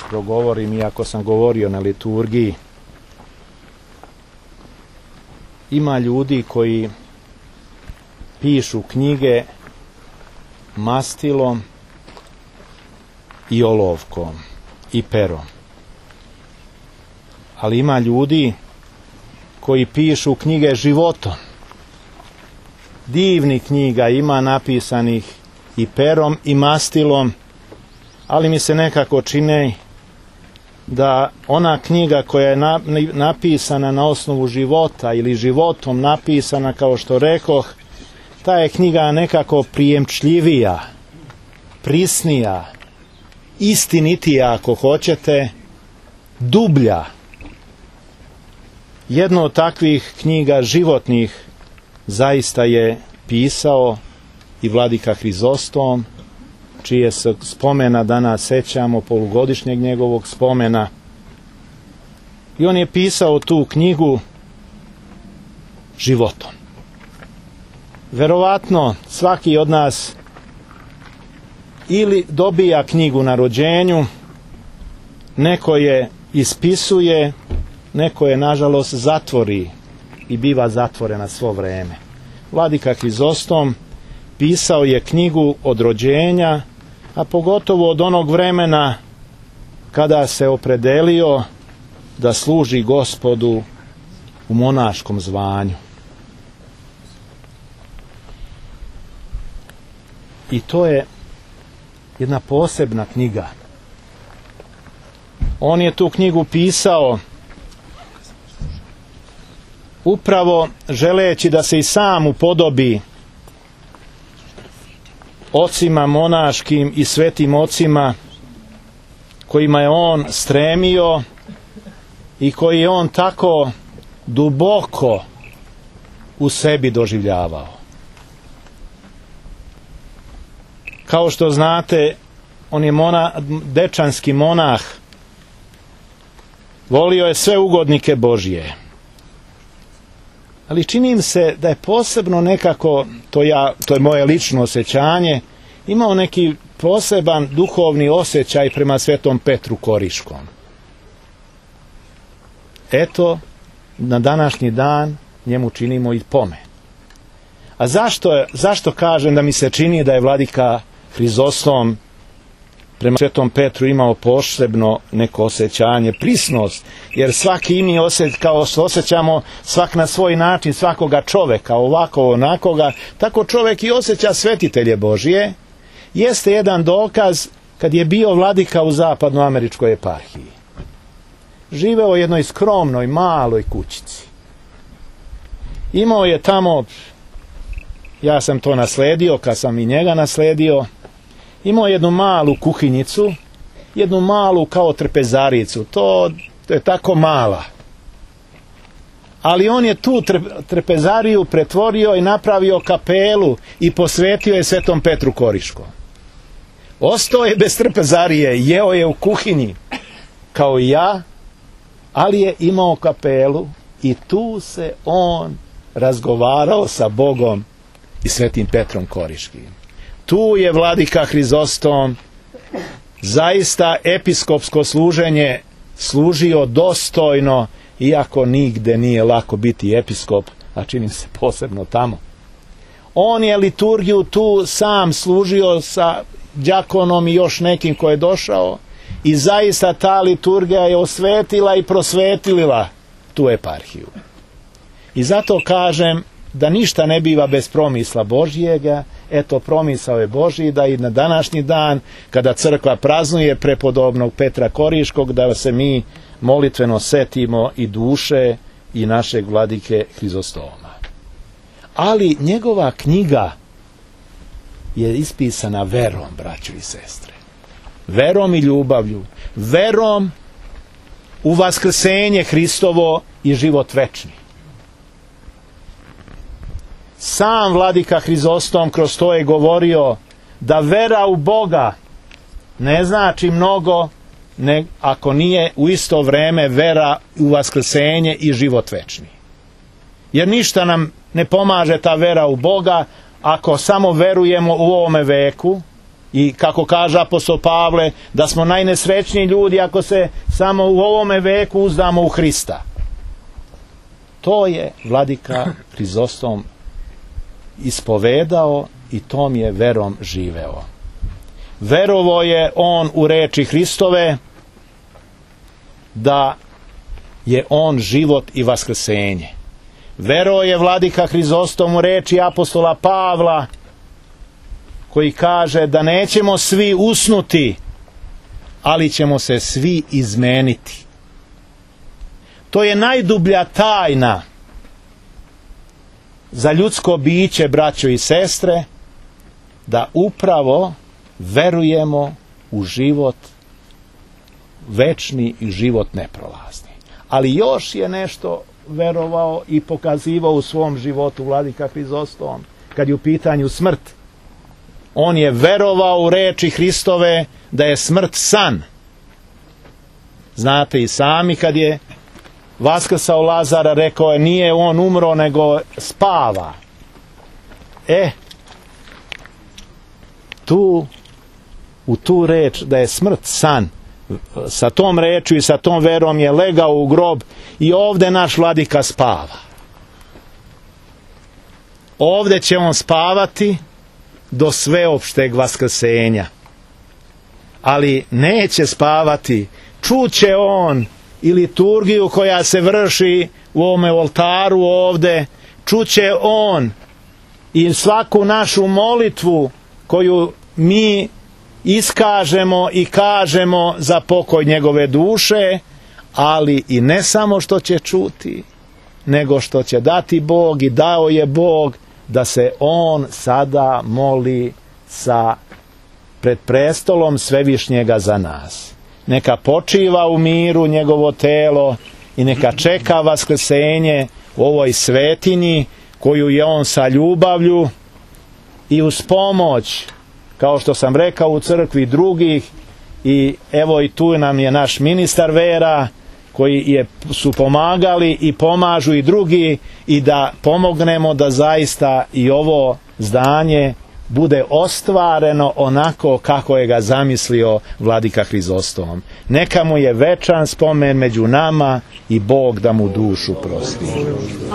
progovorim, iako sam govorio na liturgiji. Ima ljudi koji pišu knjige mastilom i olovkom i perom. Ali ima ljudi koji pišu knjige životom. Divnih knjiga ima napisanih i perom i mastilom, ali mi se nekako čini da ona knjiga koja je napisana na osnovu života ili životom napisana, kao što rekoh, ta je knjiga nekako prijemčljivija, prisnija, istinitija ako hoćete, dublja. Jedno od takvih knjiga životnih zaista je pisao i vladika Hrizostom, čije se spomena danas sećamo, polugodišnjeg njegovog spomena. I on je pisao tu knjigu životom. Verovatno svaki od nas ili dobija knjigu na rođenju, neko je ispisuje, neko je nažalost zatvori i biva zatvorena svo vreme. Vladika Hrizostom pisao je knjigu od rođenja, a pogotovo od onog vremena kada se opredelio da služi Gospodu u monaškom zvanju. I to je jedna posebna knjiga. On je tu knjigu pisao upravo želeći da se i sam upodobi ocima monaškim i svetim ocima kojima je on stremio i koji je on tako duboko u sebi doživljavao. Kao što znate, on je dečanski monah, volio je sve ugodnike Božje. Ali čini im se da je posebno nekako, to je moje lično osjećanje, imao neki poseban duhovni osjećaj prema Svetom Petru Koriškom. Eto, na današnji dan njemu činimo i pomen. A zašto kažem da mi se čini da je vladika Hrizostom prema Svetom Petru imao posebno neko osjećanje, prisnost, jer svaki mi kao što osjećamo svak na svoj način svakoga čoveka, ovako onakoga, tako čovek i osjeća svetitelje Božije, jeste jedan dokaz kad je bio vladika u zapadnoameričkoj eparhiji. Živeo u jednoj skromnoj, maloj kućici. Imao je tamo, ja sam to nasledio, kad sam i njega nasledio, imao jednu malu kuhinjicu, jednu malu kao trpezaricu, to je tako mala. Ali on je tu trpezariju pretvorio i napravio kapelu i posvetio je Svetom Petru Koriškom. Ostao je bez trpezarije, jeo je u kuhinji, kao i ja, ali je imao kapelu i tu se on razgovarao sa Bogom i Svetim Petrom Koriškim. Tu je vladika Hrizostom zaista episkopsko služenje služio dostojno, iako nigde nije lako biti episkop, a čini se posebno tamo. On je liturgiju tu sam služio sa đakonom i još nekim ko je došao i zaista ta liturgija je osvetila i prosvetlila tu eparhiju. I zato kažem da ništa ne biva bez promisla Božjega. Eto, promisao je Božji da i na današnji dan, kada crkva praznuje prepodobnog Petra Koriškog, da se mi molitveno setimo i duše i našeg vladike Hrizostoma. Ali njegova knjiga je ispisana verom, braćo i sestre. Verom i ljubavlju. Verom u vaskrsenje Hristovo i život večni. Sam vladika Hrizostom kroz to je govorio da vera u Boga ne znači mnogo ako nije u isto vreme vera u vaskrsenje i život večni. Jer ništa nam ne pomaže ta vera u Boga ako samo verujemo u ovome veku I kako kaže apostol Pavle, da smo najnesrećniji ljudi ako se samo u ovome veku uzdamo u Hrista. To je vladika Hrizostom ispovedao i tom je verom živeo. Verovao je on u reči Hristove da je on život i vaskrsenje. Verovao je vladika Hrizostom u reči apostola Pavla koji kaže da nećemo svi usnuti, ali ćemo se svi izmeniti. To je najdublja tajna za ljudsko biće, braćo i sestre, da upravo verujemo u život večni i život neprolazni. Ali još je nešto verovao i pokazivao u svom životu vladika Hrizostom kad je u pitanju smrt. On je verovao u reči Hristove da je smrt san. Znate i sami kad je vaskrsao Lazara, rekao je nije on umro nego spava. U tu reč da je smrt san, sa tom rečju i sa tom verom je legao u grob i ovdje naš vladika spava. Ovdje će on spavati do sveopšteg vaskrsenja. Ali neće spavati. Čuće on i liturgiju koja se vrši u ovome oltaru ovdje. Čuće on i svaku našu molitvu koju mi iskažemo i kažemo za pokoj njegove duše, ali i ne samo što će čuti, nego što će dati Bog i dao je Bog da se on sada moli pred prestolom Svevišnjega za nas. Neka počiva u miru njegovo telo i neka čeka vaskrsenje u ovoj svetinji koju je on sa ljubavlju i uz pomoć, kao što sam rekao, u crkvi drugih, i evo i tu nam je naš ministar vera koji su pomagali i pomažu i drugi, i da pomognemo da zaista i ovo zdanje bude ostvareno onako kako je ga zamislio vladika Hrizostom. Neka mu je večan spomen među nama i Bog da mu dušu prosti.